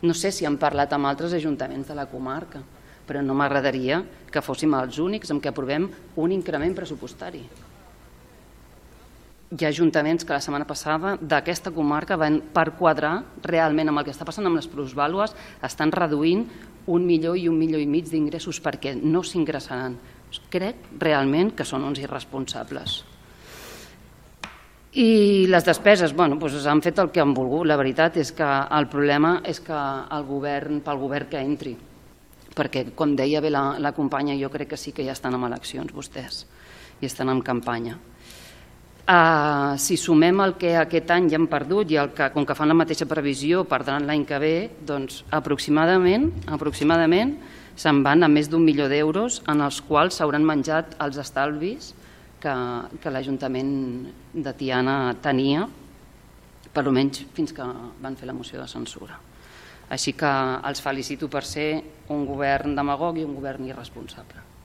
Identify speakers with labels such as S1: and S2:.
S1: No sé si han parlat amb altres ajuntaments de la comarca, però no m'agradaria que fóssim els únics en què aprovem un increment pressupostari. Hi ha ajuntaments que la setmana passada d'aquesta comarca van per quadrar realment amb el que està passant amb les plusvàlues, estan reduint 1 milió i 1,5 milions d'ingressos perquè no s'ingressaran. Crec realment que són uns irresponsables. I les despeses, han fet el que han volgut. La veritat és que el problema és que pel govern que entri, perquè, com deia bé la companya, jo crec que sí que ja estan en eleccions vostès i estan en campanya. Si sumem el que aquest any ja han perdut i com que fan la mateixa previsió perdran l'any que ve, doncs aproximadament se'n van a més d'1 milió d'euros en els quals s'hauran menjat els estalvis que l'Ajuntament de Tiana tenia, per almenys fins que van fer la moció de censura. Així que els felicito per ser un govern demagog i un govern irresponsable.